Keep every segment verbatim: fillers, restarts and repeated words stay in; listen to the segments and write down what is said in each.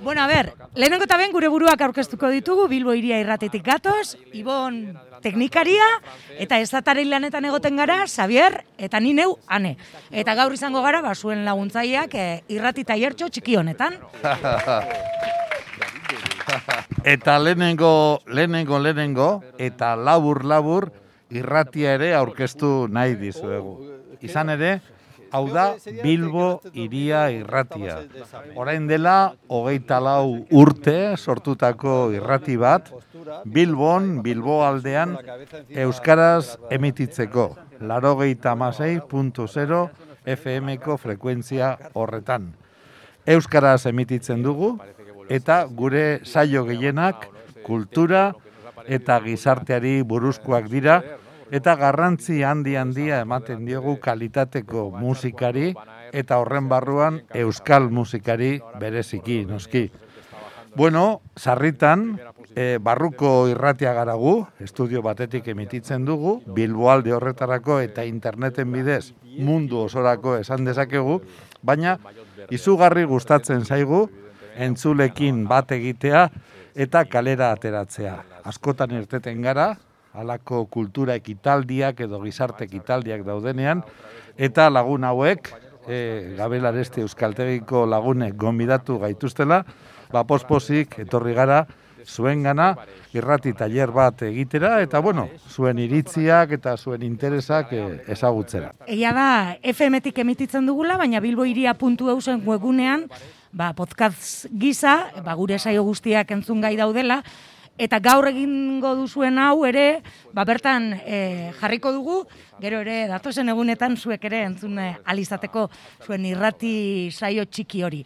Bueno, a ber, lehenengo eta ben gure buruak aurkeztuko ditugu, Bilbo Hiria Irratitik gatoz, Ibon teknikaria, eta estataren lanetan egoten gara, Xavier, eta ni neu, Ane. Eta gaur izango gara, ba, zuen laguntzaileak e, irrati tailertxo txiki honetan. Eta lehenengo, lehenengo, lehenengo, eta labur-labur irratia ere aurkeztu nahi dizuegu. Izan ere, hau da Bilbo Hiria Irratia. Orain dela, hogeita lau urte sortutako irrati bat, Bilbon, Bilbo aldean, euskaraz emititzeko. Laurogeita hamasei puntu zero F M-ko frekuentzia horretan. Euskaraz emititzen dugu, eta gure saio gehienak kultura eta gizarteari buruzkoak dira, eta garrantzi handi-handia ematen diogu kalitateko musikari eta horren barruan euskal musikari bereziki, noski. Bueno, sarritan, e, barruko irratia garagu, estudio batetik emititzen dugu, Bilboalde horretarako eta interneten bidez mundu osorako esan dezakegu, baina izugarri gustatzen zaigu entzulekin bat egitea eta kalera ateratzea. Askotan irteten gara, halako kultura ekitaldiak edo gizarte ekitaldiak daudenean, eta lagun hauek, e, Gabel Aresti Euskaltegiko lagunek gonbidatu gaituztela, ba pospozik etorri gara zuengana irrati tailer bat egitera, eta bueno, zuen iritziak eta zuen interesak e, ezagutzera. Egia da, F M-tik emititzen dugula, baina bilbohiria puntu e u zen webunean, ba, podcast gisa, ba, gure saio guztiak entzun gai daudela, eta gaur egingo duzuen hau ere, ba, bertan e, jarriko dugu, gero ere datozen egunetan zuek ere entzun alizateko zuen irrati saio txiki hori.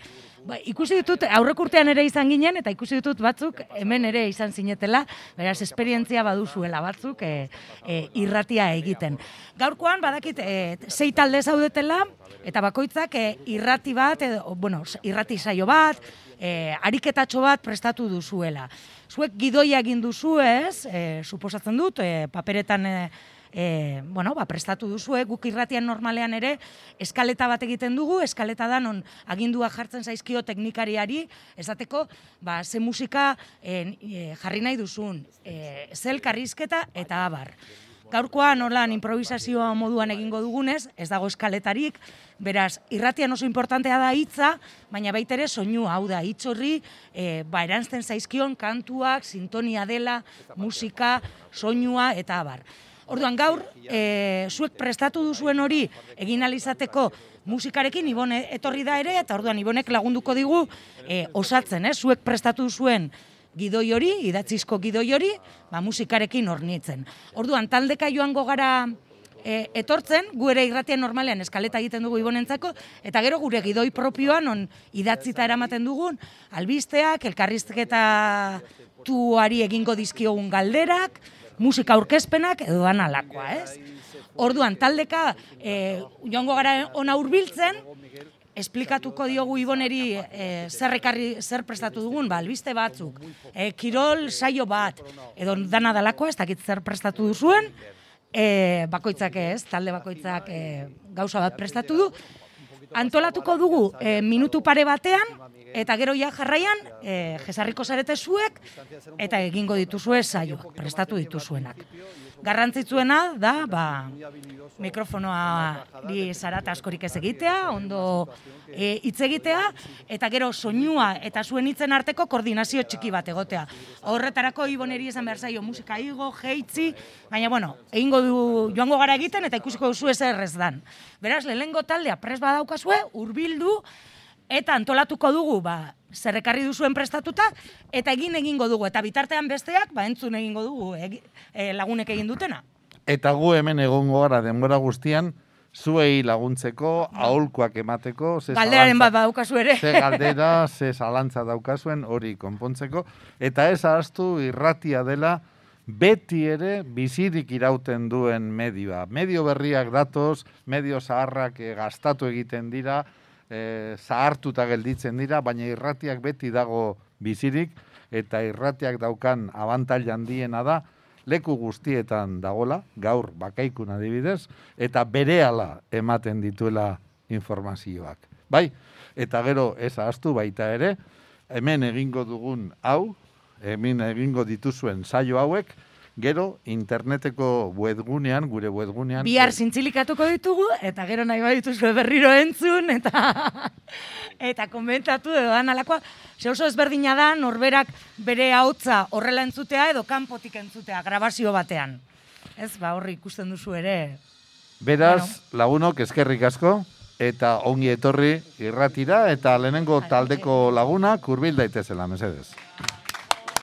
Ba, ikusi ditut, aurrek urtean ere izan ginen, eta ikusi ditut batzuk hemen ere izan zinetela, beraz, esperientzia baduzuela batzuk e, e, irratia egiten. Gaurkoan, badakit, e, sei talde zaudetela, eta bakoitzak e, irrati bat, edo, bueno, irrati saio bat, e, ariketatxo bat prestatu duzuela. Zuek gidoia egin duzu ez, e, suposatzen dut, e, paperetan e, e, bueno, ba, prestatu duzue, guk irratian normalean ere eskaleta bat egiten dugu, eskaleta da non agindua jartzen zaizkio teknikariari, esateko, ba, ze musika e, e, jarri nahi duzun, e, ze elkarrizketa eta abar. Gaurkoan holan improvisazioa moduan egingo dugunez, ez dago eskaletarik, beraz, irratian oso importantea da hitza, baina baita ere soinua, hau da, hitz horri, e, ba, eranzten zaizkion kantuak, sintonia dela, musika, soinua eta abar. Orduan gaur, e, zuek prestatu duzuen hori egin alizateko musikarekin Ibone etorri da ere, eta orduan Ibonek lagunduko digu e, osatzen, eh? Zuek prestatu duzuen gidoi hori, idatzizko gidoi hori, ba, musikarekin hornitzen. Orduan, taldeka joango gara e, etortzen, gu ere irratian normalean eskaleta egiten dugu Ibonentzako, eta gero gure gidoi propioan, on idatzita eramaten dugun, albisteak, elkarrizketa tuari egingo dizkiogun galderak, musika aurkezpenak edo analakoa, ez? Orduan, taldeka e, joango gara ona hurbiltzen, esplikatuko diogu Iboneri e, zer, ekarri, zer prestatu dugun, ba, albiste batzuk, e, kirol saio bat, edo dana dalakoa, ez dakit zer prestatu duzuen, e, bakoitzak ez, talde bakoitzak e, gauza bat prestatu du, antolatuko dugu e, minutu pare batean, eta gero ja jarraian, e, jesarriko zarete zuek, eta egingo dituzue saioak, prestatu dituzuenak. Garrantzitsuena da, ba, mikrofonoa bi zarata askorik ez egitea, ondo hitz egitea, eta gero soinua eta zuen hitzen arteko koordinazio txiki bat egotea. Horretarako Iboneri esan behar zaio musika igo, jeitzi, baina, bueno, egingo du joango gara egiten, eta ikusiko duzu ez errez dan. Beraz, lehenengo taldea pres badaukazue, hurbildu, eta antolatuko dugu, ba, zer ekarri duzuen prestatuta, eta egin egingo dugu, eta bitartean besteak, ba, entzun egingo dugu, egi, e, lagunek egin dutena. Eta gu hemen egongo gara denbora guztian, zuei laguntzeko, aholkuak emateko, ze galderaren bat daukazu ere. Ze galdera, ze zalantza daukazuen hori konpontzeko, eta ez ahaztu irratia dela, beti ere bizirik irauten duen medioa. Medio berriak datoz, medio zaharrak e, gastatu egiten dira, E, zahartuta gelditzen dira, baina irratiak beti dago bizirik, eta irratiak daukan abantaila handiena da, leku guztietan dagola, gaur bakaikun adibidez, eta berehala ematen dituela informazioak. Bai, eta gero ez ahaztu baita ere, hemen egingo dugun hau, hemen egingo dituzuen saio hauek, gero interneteko webgunean, gure webgunean... Bihar zintzilikatuko ditugu, eta gero nahi badituzue berriro entzun, eta eta komentatu edo dan alakoa. Ze oso ezberdina da, norberak bere ahotsa horrela entzutea edo kanpotik entzutea, grabazio batean. Ez, ba, horri ikusten duzu ere. Beraz, bueno. Lagunok eskerrik asko, eta ongi etorri irratira, eta lehenengo taldeko lagunak hurbil daitezela, mesedez.